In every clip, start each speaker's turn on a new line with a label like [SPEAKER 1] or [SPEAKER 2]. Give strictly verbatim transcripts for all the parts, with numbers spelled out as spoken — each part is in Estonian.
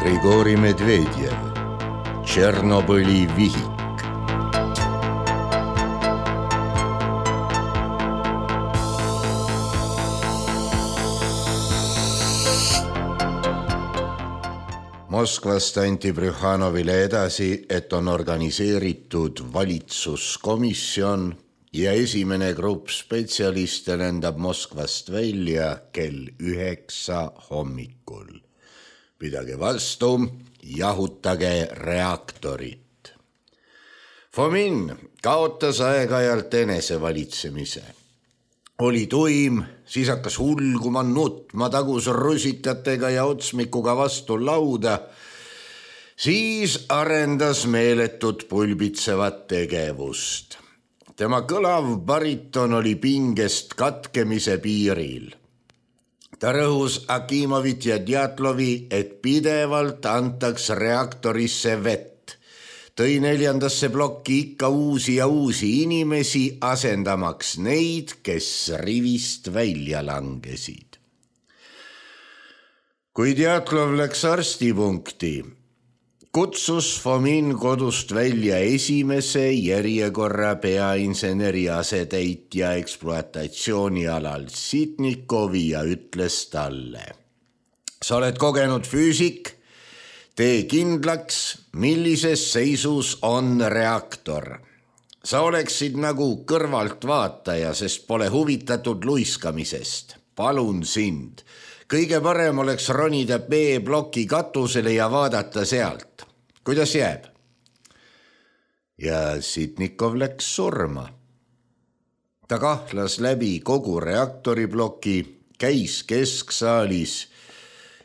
[SPEAKER 1] Grigori Medvedjev, Tšernobõli vihik. Moskvast anti Brühhanovile edasi, et on organiseeritud valitsuskomisjon ja esimene grupp spetsialiste lendab Moskvast välja kell üheksa hommikul. Pidage vastu, jahutage reaktorit. Fomin kaotas aeg-ajalt enesevalitsemise. Oli tuim, siis hakkas hulguma, nutma, tagus rusitatega ja otsmikuga vastu lauda. Siis arendas meeletut pulbitsevat tegevust. Tema kõlav bariton oli pingest katkemise piiril. Ta rõhus Akimovit ja Djatlovi, et pidevalt antaks reaktorisse vett. Tõi neljandasse plokki ikka uusi ja uusi inimesi, asendamaks neid, kes rivist välja langesid. Kui Djatlov läks arstipunkti, kutsus Fomin kodust välja esimese järjekorra peainseneri asetäitja ekspluatatsioonialal Sitnikovi ja ütles talle: sa oled kogenud füüsik, tee kindlaks, millises seisus on reaktor. Sa oleksid nagu kõrvaltvaataja, sest pole huvitatud luiskamisest. Palun sind. Kõige parem oleks ronida B-ploki katusele ja vaadata sealt. Kuidas jääb? Ja Sitnikov läks surma. Ta kahlas läbi kogu reaktoribloki, käis kesksaalis.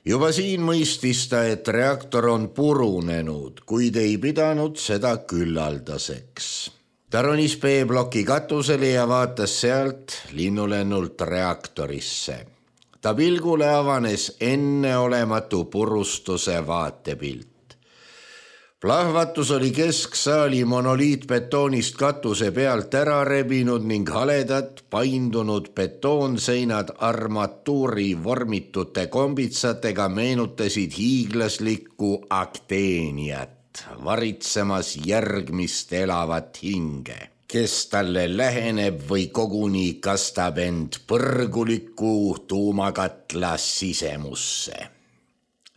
[SPEAKER 1] Juba siin mõistis ta, et reaktor on purunenud, kuid ei pidanud seda küllaldaseks. Ta ronis B-ploki katusele ja vaatas sealt linnulennult reaktorisse. Ta pilgule avanes enneolematu purustuse vaatepilt. Plahvatus oli kesksaali monoliitbetoonist katuse pealt ära rebinud ning haledad paindunud betoonseinad armatuuri vormitute kombitsatega meenutasid hiiglaslikku akteeniat, varitsemas järgmist elavat hinge, kes talle läheneb või koguni kastab end põrguliku tuumakatla sisemusse.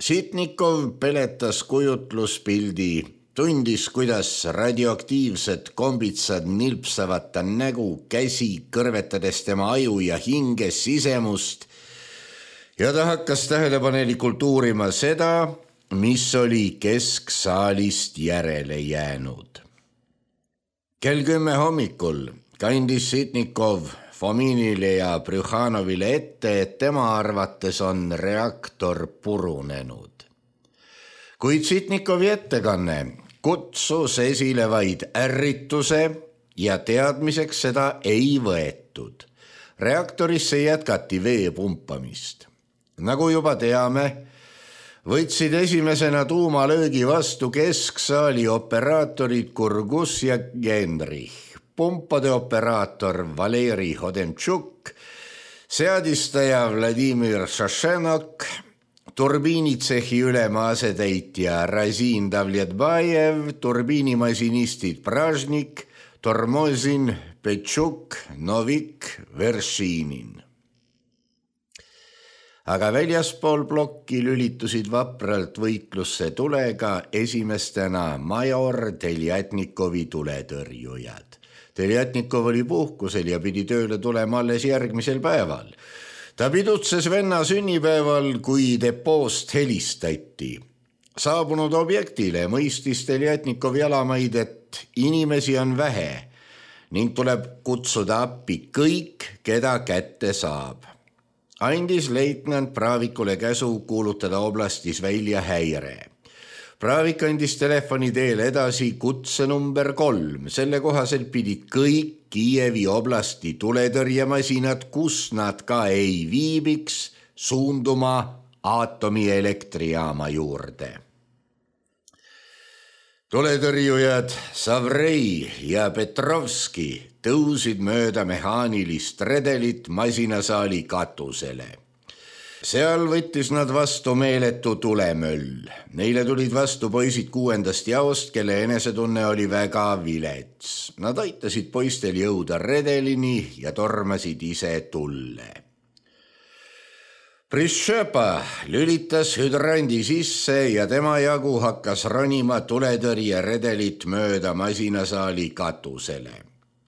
[SPEAKER 1] Sitnikov peletas kujutluspildi, tundis, kuidas radioaktiivsed kombitsad nilpsavad ta nägu, käsi, kõrvetades tema aju ja hinge sisemust, ja ta hakkas tähelepanelikult uurima seda, mis oli kesksaalist järele jäänud. Kell kümme hommikul kandis Sitnikov Fominile ja Brühhanovile ette, et tema arvates on reaktor purunenud. Kuid Sitnikovi ettekanne kutsus esile vaid ärrituse ja teadmiseks seda ei võetud. Reaktorisse jätkati vee pumpamist. Nagu juba teame, võtsid esimesena tuumalöögi vastu kesksaali operaatorid Kurgus ja Genrich. Pumpade operaator Valeri Hodemtšuk, seadistaja Vladimir Šašenok, turbiinitsehi ülema asetäitja Razin Davletbajev, turbiinimasinistid Pražnik, Tormozin, Petšuk, Novik, Veršinin. Aga väljaspool plokki lülitusid vapralt võitlusse tulega esimestena major Teljatnikovi tuletõrjujad. Teljatnikov oli puhkusel ja pidi tööle tulema alles järgmisel päeval. Ta pidutses venna sünnipäeval, kui depoost helistati. Saabunud objektile mõistis Teljatnikov jalamaid, et inimesi on vähe ning tuleb kutsuda appi kõik, keda kätte saab. Andis leitnant Pravikule käsu kuulutada oblastis välja häire. Pravik andis telefoni teel edasi kutse number kolm. Selle kohaselt pidid kõik Kiievi oblasti tuletõrjemasinad, kus nad ka ei viibiks, suunduma aatomielektrijaama juurde. Tuletõrjujad Savrei ja Petrovski tõusid mööda mehaanilist redelit masinasaali katusele. seal võttis nad vastu meeletu tulemöll. Neile tulid vastu poisid kuuendast jaost, kelle enesetunne oli väga vilets. Nad aitasid poistel jõuda redelini ja tormasid ise tulle. Prishchepa lülitas hüdrandi sisse ja tema jagu hakkas ronima tuletõrje redelit mööda masinasaali katusele.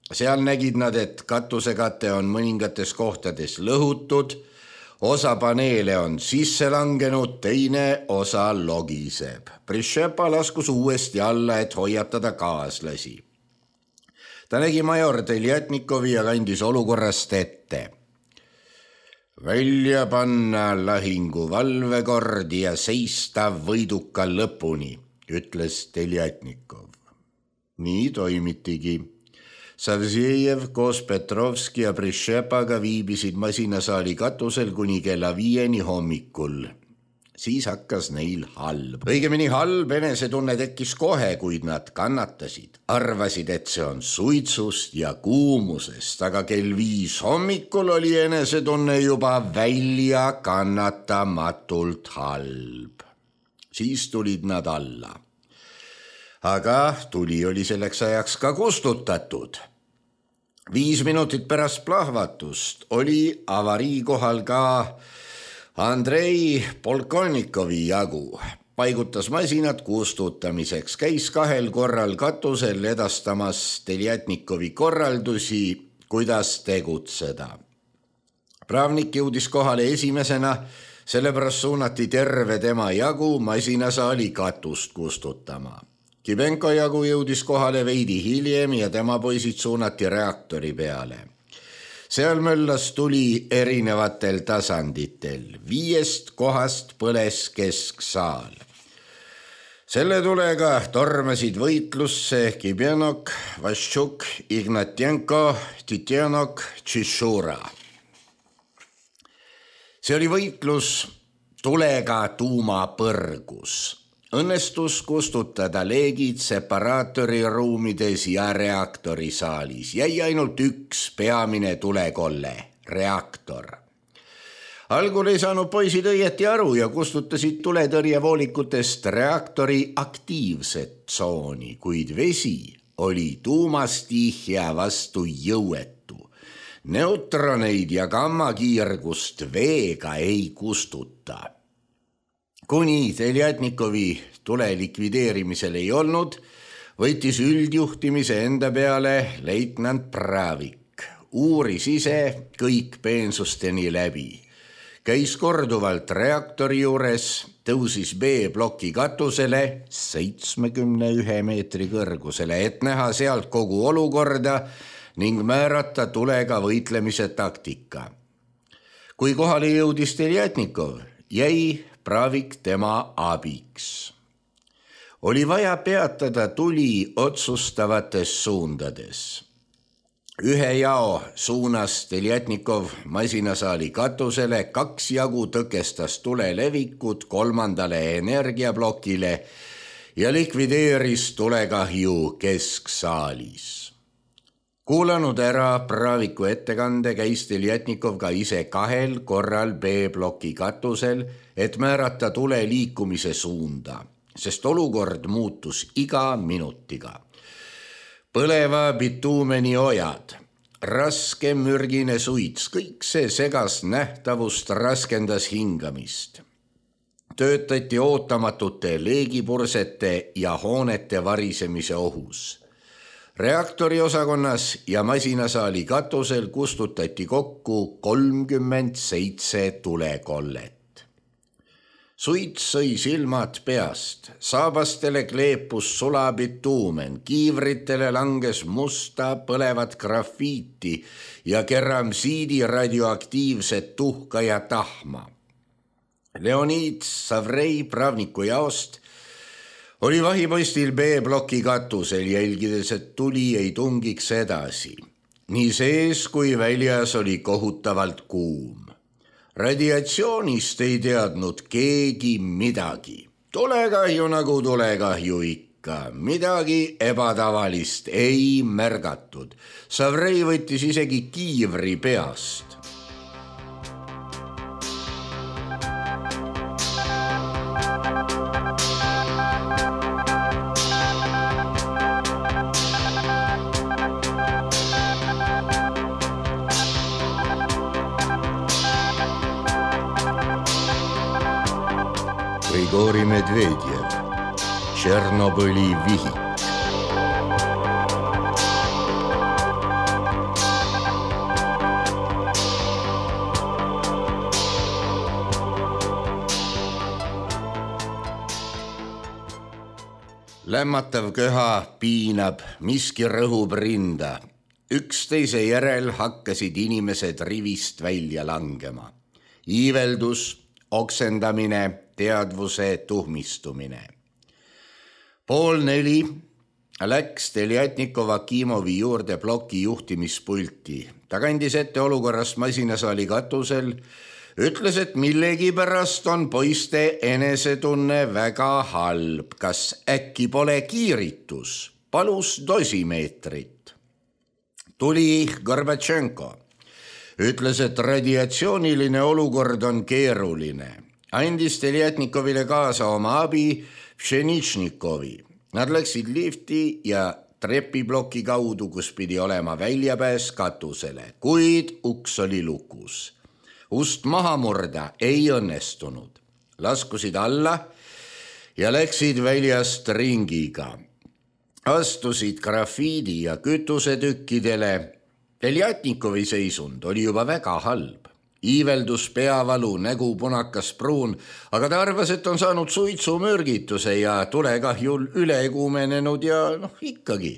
[SPEAKER 1] Seal nägid nad, et katusekate on mõningates kohtades lõhutud, osa paneele on sisse langenud, teine osa logiseb. Prishchepa laskus uuesti alla, et hoiatada kaaslasi. Ta nägi major Teljatnikovi ja kandis olukorrast ette. Välja panna lahingu valvekord ja seista võiduka lõpuni, ütles Teljatnikov. Nii toimitigi. Savzejev koos Petrovski ja Prishchepaga viibisid masinasaali katusel kuni kella viieni hommikul. Siis hakkas neil halb. Õigemini halb enesetunne tekkis kohe, kuid nad kannatasid. Arvasid, et see on suitsust ja kuumusest, aga kell viis hommikul oli enesetunne juba välja kannatamatult halb. Siis tulid nad alla. Aga tuli oli selleks ajaks ka kustutatud. Viis minutit pärast plahvatust oli avarii kohal ka Andrei Polkonnikovi jagu. Paigutas masinad kustutamiseks, käis kahel korral katusel edastamas Teljatnikovi korraldusi, kuidas tegutseda. Pravnik jõudis kohale esimesena, sellepärast suunati terve tema jagu masinasaali katust kustutama. Kibenko jagu jõudis kohale veidi hiljem ja tema poisid suunati reaktori peale. Seal möllas tuli erinevatel tasanditel. Viiest kohast põles kesksaal. Selle tulega tormasid võitlusse Kibenok, Vaščuk, Ignatjenko, Titjenok, Tšišura. See oli võitlus tulega tuumapõrgus. Õnnestus kustutada leegid separaatori ruumides ja reaktorisaalis. Jäi ainult üks peamine tulekolle, reaktor. Algul ei saanud poisid õieti aru ja kustutasid tuletõrjevoolikutest reaktori aktiivset tsooni, kuid vesi oli tuumastihja vastu jõuetu. Neutroneid ja gammakiirgust veega ei kustuta. Kuni Teljatnikovi tule likvideerimisel ei olnud, võttis üldjuhtimise enda peale leitnant Pravik. Uuris ise kõik peensusteni läbi. Käis korduvalt reaktori juures, tõusis B-ploki katusele seitsmekümne ühe meetri kõrgusele, et näha sealt kogu olukorda ning määrata tulega võitlemise taktika. Kui kohale jõudis Teljatnikov, jäi Pravik tema abiks. Oli vaja peatada tuli otsustavates suundades. Ühe jao suunas Teljatnikov masinasaali katusele, kaks jagu tõkestas tule levikut kolmandale energiablokile ja likvideeris tulekahju kesksaalis. Kuulanud ära Praviku ettekande, käis Teljatnikov ka ise kahel korral B-ploki katusel, et määrata tule liikumise suunda, sest olukord muutus iga minutiga. Põleva bituumeni ojad, raske mürgine suits, kõik see segas nähtavust, raskendas hingamist. Töötati ootamatute leegipursete ja hoonete varisemise ohus. Reaktori osakonnas ja masinasaali katusel kustutati kokku kolmkümmend seitse tulekollet. Suits sõi silmad peast, saabastele kleepus sulabituumen, kiivritele langes musta põlevat grafiiti ja keramsiidi radioaktiivset tuhka ja tahma. Leonid Savrei Pravniku jaost oli vahipostil B-ploki katusel, jälgides, et tuli ei tungiks edasi. Nii sees kui väljas oli kohutavalt kuum. Radiatsioonist ei teadnud keegi midagi. Tulekahju nagu tulekahju ikka. Midagi ebatavalist ei märgatud. Savrei võttis isegi kiivri peast. Grigori Medvedjev, Tšernobõli vihik. Lämmatav köha piinab, miski rõhub rinda. Üksteise järel hakkasid inimesed rivist välja langema. Iiveldus, oksendamine, teadvuse tuhmistumine. Pool neli läks Teljatnikova Kimovi juurde ploki juhtimispulti. Ta kandis ette olukorrast masinasaali katusel, ütles, et millegi pärast on poiste enesetunne väga halb. Kas äkki pole kiiritus? Palus dosimeetrit. Tuli Gorbatšenko. Ütles, et radiatsiooniline olukord on keeruline. Andis Teljatnikovile kaasa oma abi Pšeničnikovi. Nad läksid lifti ja trepiploki kaudu, kus pidi olema väljapääs katusele, kuid uks oli lukus. Ust maha murda ei õnnestunud. Laskusid alla ja läksid väljast ringiga. Astusid grafiidi ja kütusetükkidele. Teljatnikovi seisund oli juba väga halb. Iiveldus, peavalu, nägu punakas pruun, aga ta arvas, et on saanud suitsumürgituse ja tulekahjul üle kuumenenud ja noh ikkagi.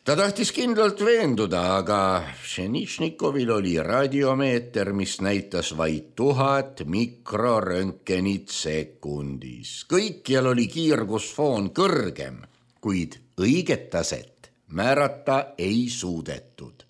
[SPEAKER 1] Ta tahtis kindlalt veenduda, aga Pšeničnikovil oli radiomeeter, mis näitas vaid tuhat mikroröntgenit sekundis. Kõikjal oli kiirgusfoon kõrgem, kuid õiget taset määrata ei suudetud.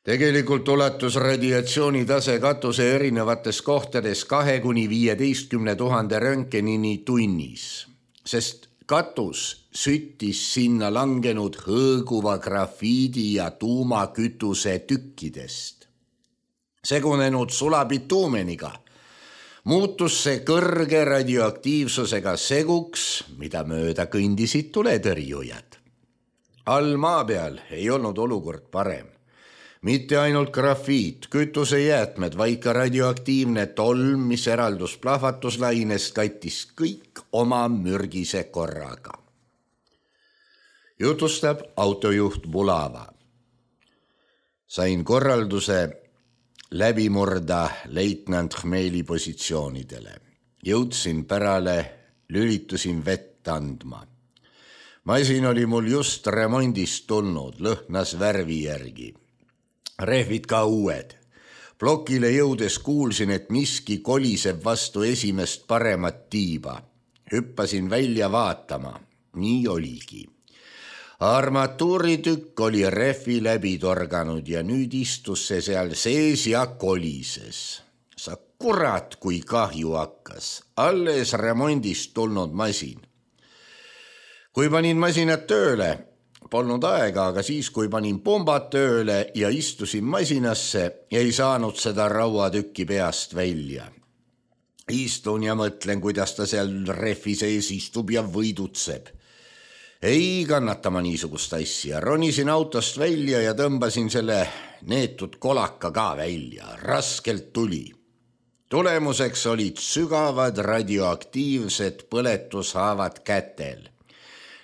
[SPEAKER 1] Tegelikult ulatus radiatsiooni tase katuse erinevates kohtades kahe kuni viieteistkümne tuhande röntgenini tunnis, sest katus süttis sinna langenud hõõguva grafiidi ja tuumakütuse tükkidest. Segunenud sulabituumeniga muutus see kõrge radioaktiivsusega seguks, mida mööda kõndisid tuletõrjujad. All maa peal ei olnud olukord parem. Mitte ainult grafiit, kütusejäätmed, vaid ka radioaktiivne tolm, mis eraldus plahvatuslainest, kattis kõik oma mürgise korraga. Jutustab autojuht Bulava. Sain korralduse läbi murda leitnant Khmeli positsioonidele. Jõudsin pärale, lülitusin vett andma. Masin oli mul just remondist tulnud, lõhnas värvi järgi. Rehvid ka uued. Plokile jõudes kuulsin, et miski koliseb vastu esimest paremat tiiba. Hüppasin välja vaatama. Nii oligi. Armatuuritükk oli rehvi läbi torganud ja nüüd istus see seal sees ja kolises. Sa kurat, kui kahju hakkas. Alles remondist tulnud masin. Kui panin masinat tööle, polnud aega, aga siis, kui panin pumbad tööle ja istusin masinasse, ei saanud seda rauatükki peast välja. Istun ja mõtlen, kuidas ta seal rehvi sees istub ja võidutseb. Ei kannata ma niisugust asja. Ronisin autost välja ja tõmbasin selle neetud kolaka ka välja. Raskelt tuli. Tulemuseks olid sügavad radioaktiivsed põletushaavad kätel.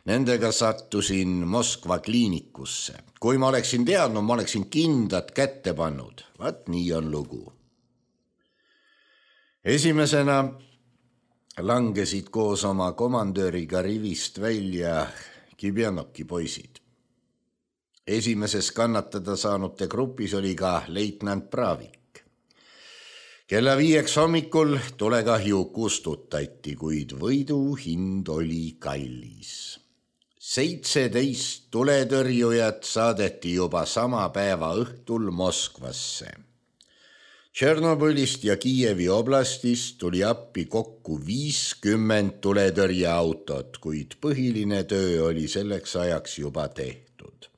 [SPEAKER 1] Nendega sattusin Moskva kliinikusse. Kui ma oleksin teadnud, ma oleksin kindad kätte pannud. Vaat nii on lugu. Esimesena langesid koos oma komandööriga rivist välja Kibjanoki poisid. Esimeses kannatada saanute grupis oli ka leitnant Pravik. Kella viieks hommikul tulekahju kustutati, kuid võidu hind oli kallis. seitseteist tuletõrjujat saadeti juba sama päeva õhtul Moskvasse. Tšernobõlist ja Kiievi oblastist tuli appi kokku viiskümmend tuletõrjeautot, kuid põhiline töö oli selleks ajaks juba tehtud.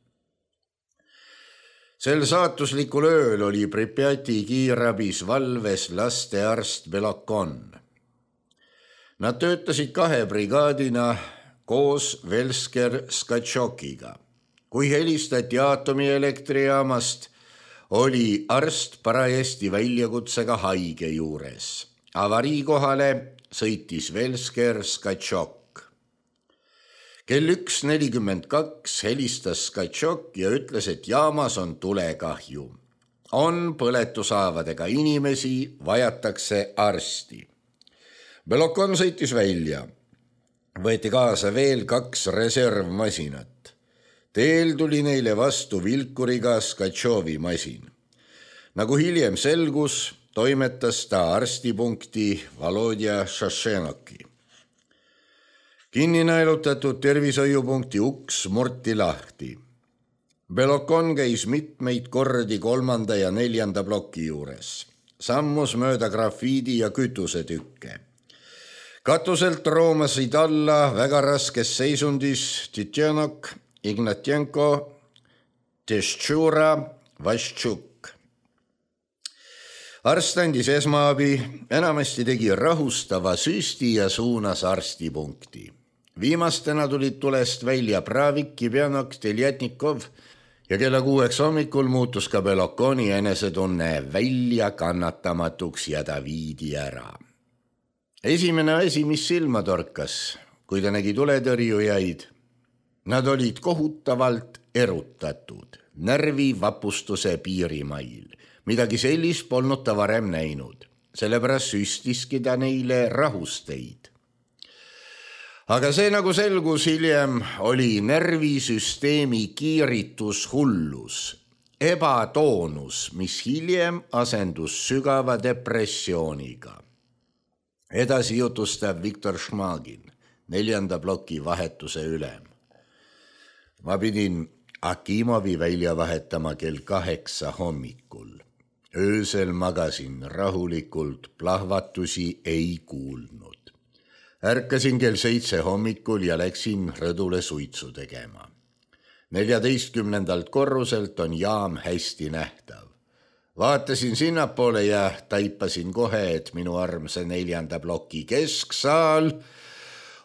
[SPEAKER 1] Sel saatuslikul ööl oli Pripjati kiirabis valves lastearst Belokon. Nad töötasid kahe brigaadina koos Velsker Skatšokiga. Kui helistati aatomielektrijaamast, oli arst parajasti väljakutsega haige juures. Avariikohale sõitis Velsker Skatšok. kell üks nelikümmend kaks helistas Skatšok ja ütles, et jaamas on tulekahju. On põletushaavadega inimesi, vajatakse arsti. Belokon sõitis välja. Võeti kaasa veel kaks reservmasinat. Teel tuli neile vastu vilkuriga Skatšovi masin. Nagu hiljem selgus, toimetas ta arstipunkti Volodja Šašenoki. Kinni naelutatud tervishoiupunkti uks murti lahti. Belokon käis mitmeid kordi kolmanda ja neljanda ploki juures. Sammus mööda grafiidi ja kütusetükke. Katuselt roomasid alla väga raskes seisundis Titjenok, Ignatjenko, Teščura, Vaščuk. Arst andis esmaabi, enamasti tegi rahustava süsti ja suunas arstipunkti. Viimastena tulid tulest välja Pravik, Kibjanok, Teljatnikov ja kella kuueks hommikul muutus ka Belokoni enesetunne välja kannatamatuks ja ta viidi ära. Esimene asi, mis silma torkas, kui ta nägi tuletõrjujaid, nad olid kohutavalt erutatud, närvivapustuse piirimail. Midagi sellist polnud ta varem näinud, sellepärast süstiski ta neile rahusteid. Aga see, nagu selgus hiljem, oli närvisüsteemi kiiritushullus, ebatoonus, mis hiljem asendus sügava depressiooniga. Edasi jutustab Viktor Šmagin, neljanda ploki vahetuse ülem. Ma pidin Akimovi välja vahetama kell kaheksa hommikul. Öösel magasin rahulikult, plahvatusi ei kuulnud. Ärkasin kell seitse hommikul ja läksin rõdule suitsu tegema. neljateistkümnendalt korruselt on jaam hästi nähtav. Vaatasin sinnapoole ja taipasin kohe, et minu armsa neljanda ploki kesksaal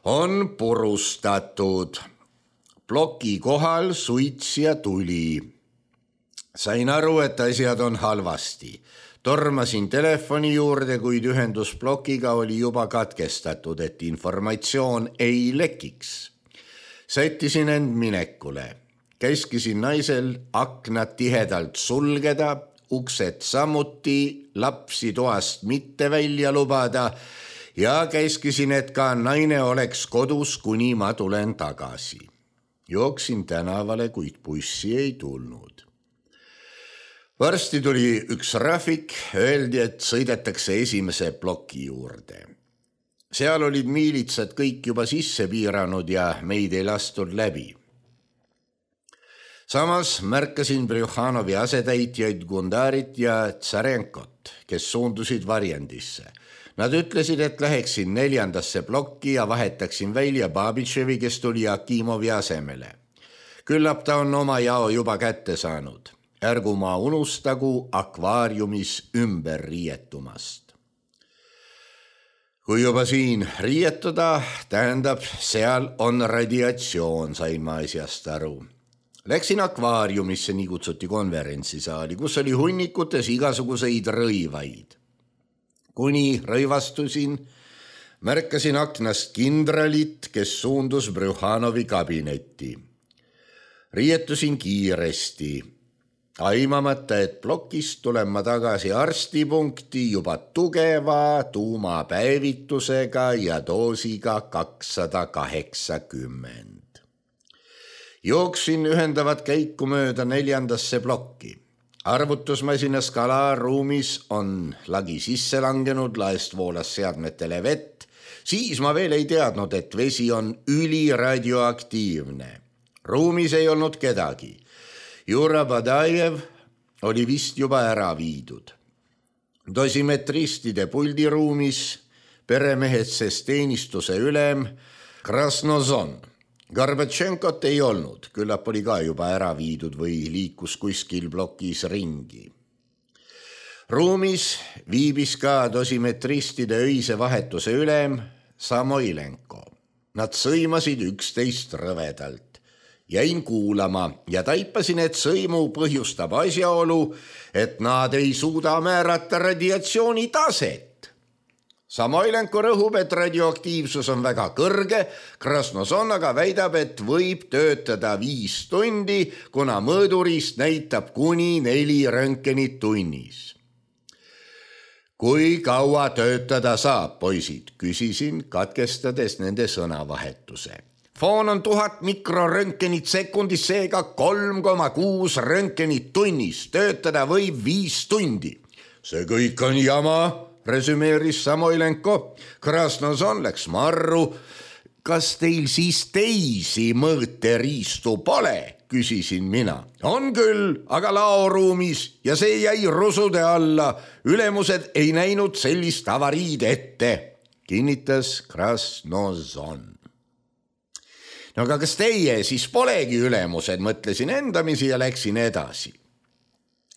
[SPEAKER 1] on purustatud. Ploki kohal suits ja tuli. Sain aru, et asjad on halvasti. Tormasin telefoni juurde, kuid ühendus plokiga oli juba katkestatud, et informatsioon ei lekiks. Sättisin end minekule. Käskisin naisel aknad tihedalt sulgeda, uksed samuti, lapsi toast mitte välja lubada ja käskisin, et ka naine oleks kodus, kuni ma tulen tagasi. Jooksin tänavale, kuid bussi ei tulnud. Varsti tuli üks Rafik, öeldi, et sõidetakse esimese ploki juurde. Seal olid miilitsad kõik juba sisse piiranud ja meid ei lastud läbi. Samas märkasin Brjuhanovi asetäitjaid Gundarit ja Tsarenkot, kes suundusid varjendisse. Nad ütlesid, et läheksin neljandasse plokki ja vahetaksin välja Babitševi, kes tuli Akimovi asemele. Küllap ta on oma jao juba kätte saanud. Ärgu ma unustagu akvaariumis ümber riietumast. Kui juba siin riietuda, tähendab, seal on radiatsioon, sain ma asjast aru. Läksin akvaariumisse, nii kutsuti konverentsisaali, kus oli hunnikutes igasuguseid rõivaid. Kuni rõivastusin, märkasin aknast kindralit, kes suundus Brjuhanovi kabinetti. Riietusin kiiresti. Aimamata, et plokist tulen ma tagasi arstipunkti juba tugeva tuumapäevitusega ja doosiga kakssada kaheksakümmend. Jooksin ühendavat käiku mööda neljandasse plokki. Arvutusmasina skalaarruumis on lagi sisse langenud, laest voolas seadmetele vett. Siis ma veel ei teadnud, et vesi on üliradioaktiivne. Ruumis ei olnud kedagi. Jura Badajev oli vist juba ära viidud. Dosimetristide puldiruumis peremehetses teenistuse ülem Krasnozon. Gorbatšenkot ei olnud, küllap oli ka juba ära viidud või liikus kuskil plokis ringi. Ruumis viibis ka dosimetristide öise vahetuse ülem Samoilenko. Nad sõimasid üksteist rõvedalt. Jäin kuulama ja taipasin, et sõimu põhjustab asjaolu, et nad ei suuda määrata radiatsiooni taset. Samoilenko rõhub, et radioaktiivsus on väga kõrge, Krasnoson aga väidab, et võib töötada viis tundi, kuna mõõdurist näitab kuni neli röntgenit tunnis. Kui kaua töötada saab, poisid, küsisin, katkestades nende sõnavahetuse. Foon on tuhat mikroröntgenit sekundis, seega kolm koma kuus röntgenit tunnis, töötada võib viis tundi. See kõik on jama, resümeeris Samoilenko. Krasnoson läks marru. Kas teil siis teisi mõõteriistu pole, küsisin mina. On küll, aga laoruumis ja see jäi rusude alla. Ülemused ei näinud sellist avariid ette, kinnitas Krasnoson. No aga kas teie siis polegi ülemused, mõtlesin endamisi ja läksin edasi.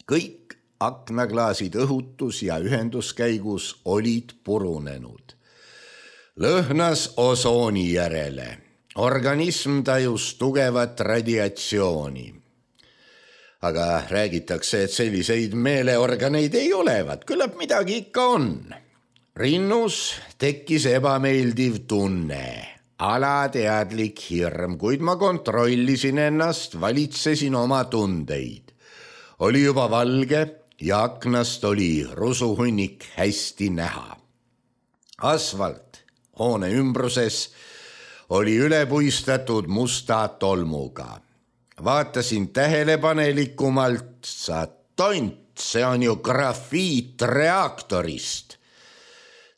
[SPEAKER 1] Kõik aknaklaasid õhutus ja ühenduskäigus olid purunenud. Lõhnas osooni järele. Organism tajus tugevat radiatsiooni. Aga räägitakse, et selliseid meeleorganeid ei olevat, küllap midagi ikka on. Rinnus tekkis ebameeldiv tunne, alateadlik hirm, kuid ma kontrollisin ennast, valitsesin oma tundeid. Oli juba valge ja aknast oli rusuhunnik hästi näha. Asfalt hoone ümbruses oli ülepuistatud musta tolmuga. Vaatasin tähelepanelikumalt, sa tont, see on ju grafiit reaktorist.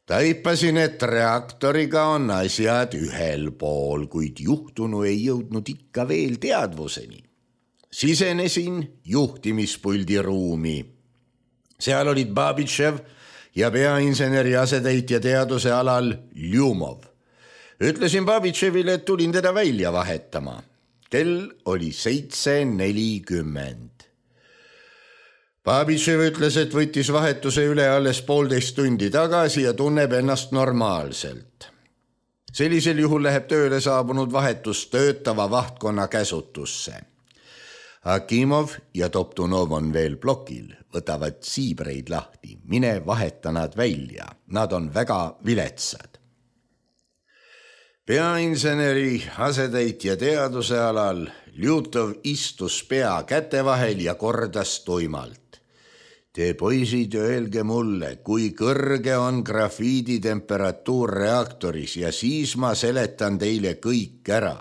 [SPEAKER 1] Taipasin, et reaktoriga on asjad ühel pool, kuid juhtunu ei jõudnud ikka veel teadvuseni. Sisenesin juhtimispuldi ruumi. Seal olid Babitšev ja peainseneri asetäitja teaduse alal Ljumov. Ütlesin Babitševile, et tulin teda välja vahetama. Kell oli seitse nelikümmend. Babitšev ütles, et võttis vahetuse üle alles poolteist tundi tagasi ja tunneb ennast normaalselt. Sellisel juhul läheb tööle saabunud vahetus töötava vahtkonna käsutusse. Akimov ja Toptunov on veel plokil, võtavad siibreid lahti, mine vaheta nad välja, nad on väga viletsad. Peainseneri asetäitja teaduse alal Ljutov istus pea käte vahel ja kordas tuimalt. Te poisid öelge mulle, kui kõrge on grafiidi temperatuur reaktoris ja siis ma seletan teile kõik ära.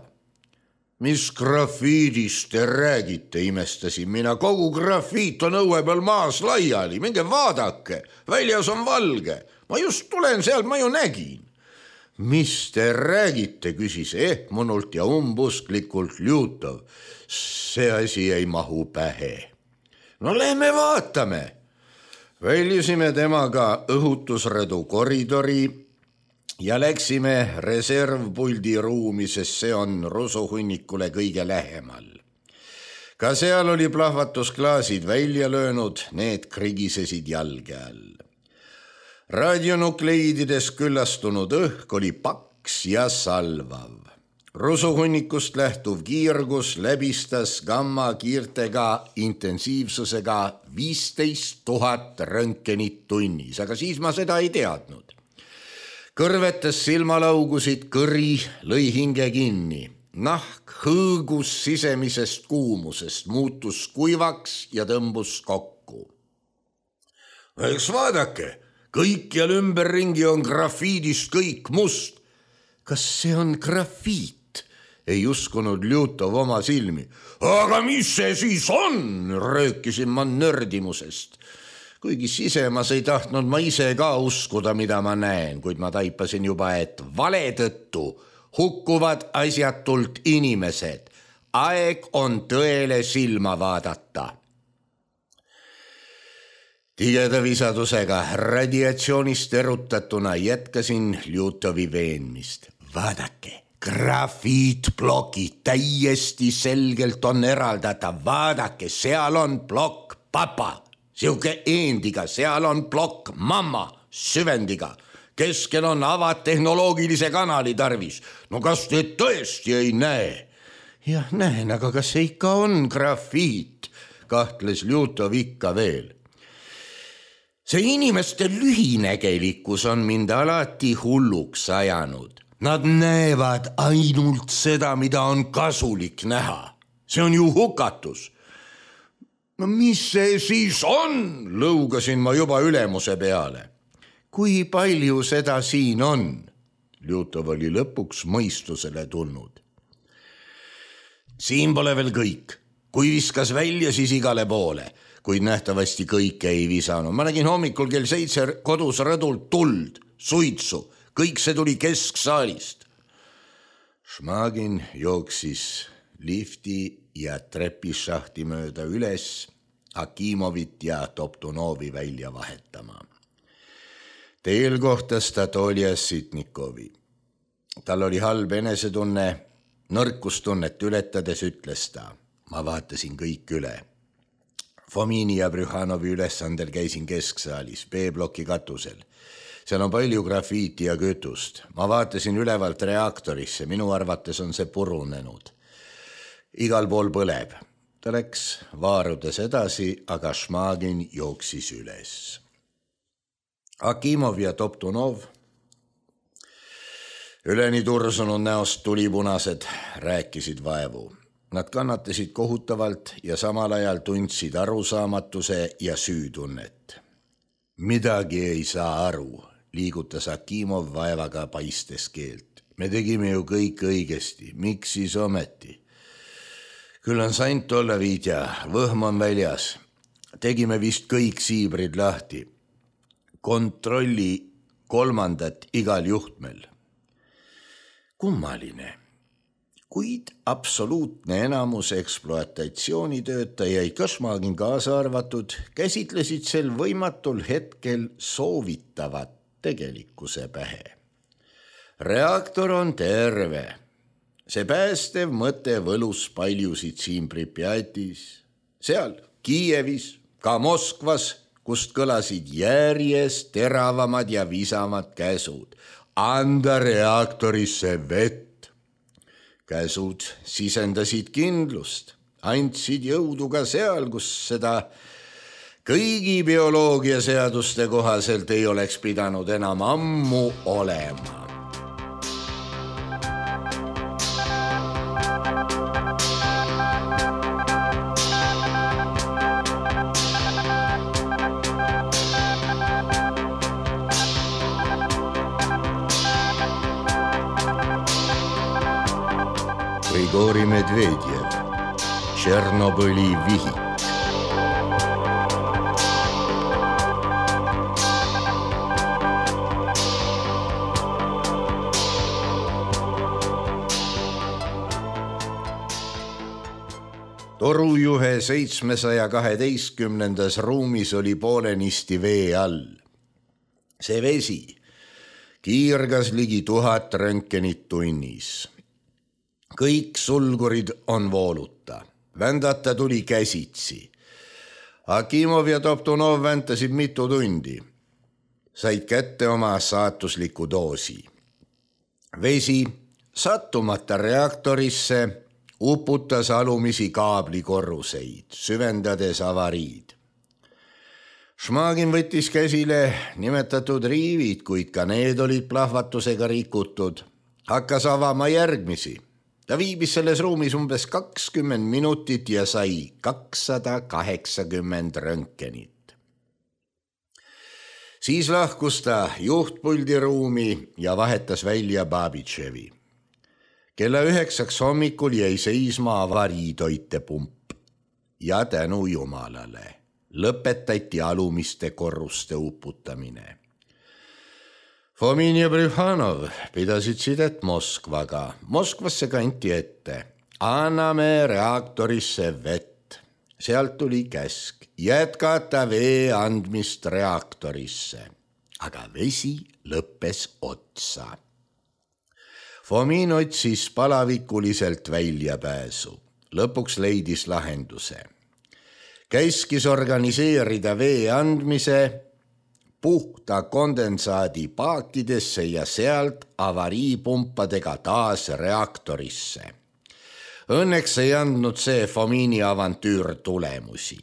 [SPEAKER 1] Mis grafiidist te räägite, imestasin mina, kogu grafiit on õue peal maas laiali, minge vaadake, väljas on valge, ma just tulen sealt, ma ju nägin. Mis te räägite, küsis ehmunult ja umbusklikult Ljutov, see asi ei mahu pähe. No lähme vaatame. Väljusime temaga õhutusrõdu koridori ja läksime reservpuldi ruumi, sest see on rusuhunnikule kõige lähemal. Ka seal oli plahvatusklaasid välja löönud, need krigisesid jalge all. Radionukleidides küllastunud õhk oli paks ja salvav. Rusuhunnikust lähtuv kiirgus läbistas gamma kiirtega intensiivsusega viisteist tuhat röntgenit tunnis, aga siis ma seda ei teadnud. Kõrvetes silmalaugusid kõri, lõi hinge kinni. Nahk hõõgus sisemisest kuumusest, muutus kuivaks ja tõmbus kokku. Eks vaadake, kõikjal ümberringi on grafiidist kõik must. Kas see on grafiit? Ei uskunud Ljutov oma silmi. Aga mis see siis on? Röökisin ma nördimusest. Kuigi sisemas ei tahtnud ma ise ka uskuda, mida ma näen, kuid ma taipasin juba, et vale tõttu hukkuvad asjatult inimesed. Aeg on tõele silma vaadata. Tigeda visadusega radiatsioonist erutatuna jätkasin Ljutovi veenmist. Vaadake, grafiitplokid täiesti selgelt on eraldatav. Vaadake, seal on plokk papa. Siuke eendiga, seal on plokk mamma süvendiga. Keskel on avad tehnoloogilise kanali tarvis. No kas te tõesti ei näe? Jah, näen, aga kas see ikka on grafiit? Kahtles Ljutov ikka veel. See inimeste lühinegelikkus on mind alati hulluks ajanud. Nad näevad ainult seda, mida on kasulik näha. See on ju hukatus. No mis see siis on? Lõugasin ma juba ülemuse peale. Kui palju seda siin on? Ljutov oli lõpuks mõistusele tulnud. Siin pole veel kõik. Kui viskas välja, siis igale poole. Kuid nähtavasti kõike ei visanud. Ma nägin hommikul kell seitse kodus rõdult tuld, suitsu. Kõik see tuli kesksaalist. Šmagin jooksis lifti ja trepišahti mööda üles Akimovit ja Toptunovi välja vahetama. Teel kohtas ta Tolja Sitnikovi. Tal oli halb enesetunne, nõrkustunnet ületades ütles ta. Ma vaatasin kõik üle. Fomini ja Brühhanovi ülesandel käisin kesksaalis, B-bloki katusel. Seal on palju grafiiti ja kütust. Ma vaatasin ülevalt reaktorisse, minu arvates on see purunenud. Igal pool põleb. Ta läks vaarudes edasi, aga Šmagin jooksis üles. Akimov ja Toptunov, üleni tursunud näost tulipunased, rääkisid vaevu. Nad kannatasid kohutavalt ja samal ajal tundsid arusaamatuse ja süütunnet. Midagi ei saa aru, liigutas Akimov vaevaga paistes keelt. Me tegime ju kõik õigesti, miks siis ometi? Küll on sant olla, Viidja, võhm on väljas. Tegime vist kõik siibrid lahti. Kontrolli kolmandat igal juhtmel. Kummaline. Kuid absoluutne enamus ekspluatatsioonitöötajaid, Šmagin kaasa arvatud, käsitlesid sel võimatul hetkel soovitavat tegelikkuse pähe. Reaktor on terve. See päästev mõte võlus paljusid siin Pripjatis, seal Kiievis, ka Moskvas, kust kõlasid järjest teravamad ja visamad käsud. Anda reaktorisse vett. Käsud sisendasid kindlust, andsid jõudu ka seal, kus seda kõigi bioloogiaseaduste kohaselt ei oleks pidanud enam ammu olema. Grigori Medvedjev, Tšernobõli vihik. Torujuhe seitsmesaja kaheteistkümnendas ruumis oli poolenisti vee all. See vesi kiirgas ligi tuhat röntgenit tunnis. Kõik sulgurid on vooluta. Vändata tuli käsitsi. Akimov ja Toptunov väntasid mitu tundi. Said kätte oma saatusliku doosi. Vesi sattumata reaktorisse uputas alumisi kaablikorruseid, süvendades avariid. Šmagin võttis käsile nimetatud riivid, kuid ka need olid plahvatusega rikutud. Hakkas avama järgmisi. Ta viibis selles ruumis umbes kakskümmend minutit ja sai kakssada kaheksakümmend röntgenit. Siis lahkus ta juhtpuldi ruumi ja vahetas välja Babitševi. Kella üheksaks hommikul jäi seisma avariitoitepump ja tänu Jumalale lõpetati alumiste korruste uputamine. Fomin ja Brühhanov pidasid sidet Moskvaga. Moskvasse kanti ette. Anname reaktorisse vett. Sealt tuli käsk jätkata vee andmist reaktorisse. Aga vesi lõppes otsa. Fomin otsis palavikuliselt väljapääsu. Lõpuks leidis lahenduse. Käskis organiseerida vee andmise puhta kondensaadi paakidesse ja sealt avariipumpadega taas reaktorisse. Õnneks ei andnud see Fomini avantüür tulemusi.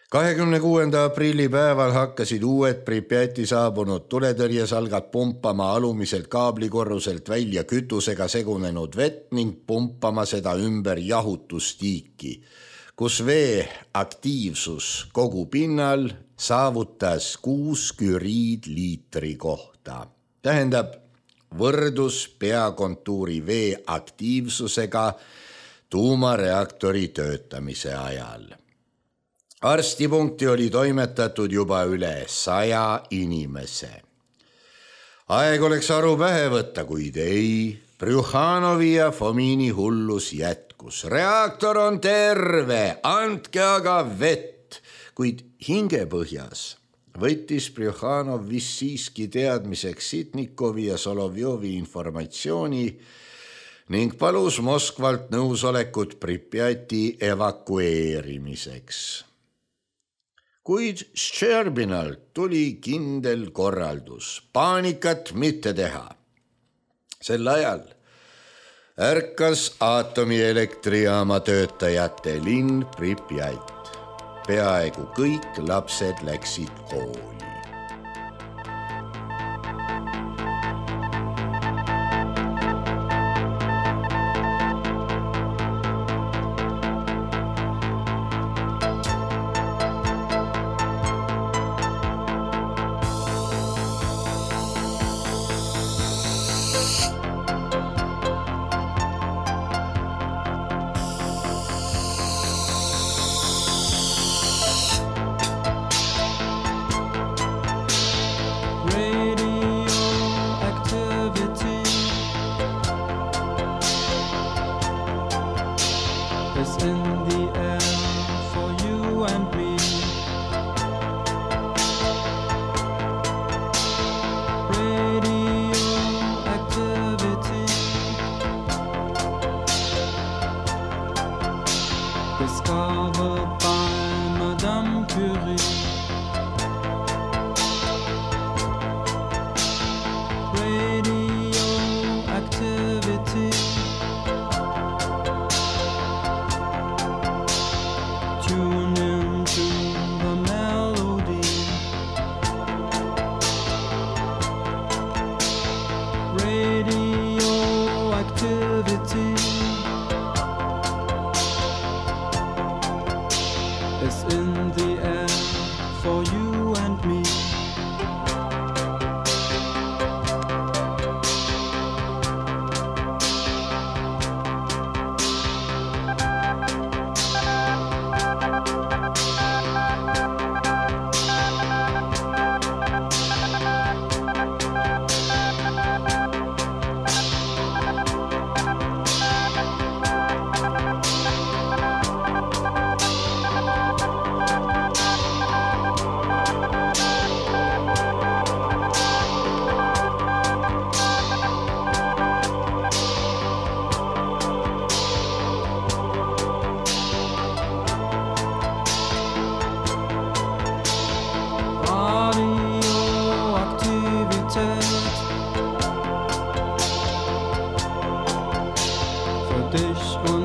[SPEAKER 1] kahekümne kuuenda aprilli päeval hakkasid uued Pripjati saabunud tuletõrjesalgad pumpama alumiselt kaablikorruselt välja kütusega segunenud vett ning pumpama seda ümber jahutustiiki, kus vee aktiivsus kogu pinnal saavutas kuus küriidliitri kohta. Tähendab, võrdus peakontuuri vee aktiivsusega tuumareaktori töötamise ajal. Arstipunkti oli toimetatud juba üle saja inimese. Aeg oleks aru pähe võtta, kuid ei. Brjuhhanovi ja Fomini hullus jätkus. Reaktor on terve, andke aga vett, kuid hingepõhjas võttis Brjuhhanov vist siiski teadmiseks Sitnikovi ja Solovjovi informatsiooni ning palus Moskvalt nõusolekut Pripjati evakueerimiseks. Kuid Ščerbinalt tuli kindel korraldus, paanikat mitte teha. Sel ajal ärkas aatomieelektrijaama töötajate linn Pripjat. Peaaegu kõik lapsed läksid kooli.
[SPEAKER 2] Discovered by Madame Curie. Radioactivity. Tune into the melody. Radioactivity. Is in the air for you and me. Für dich und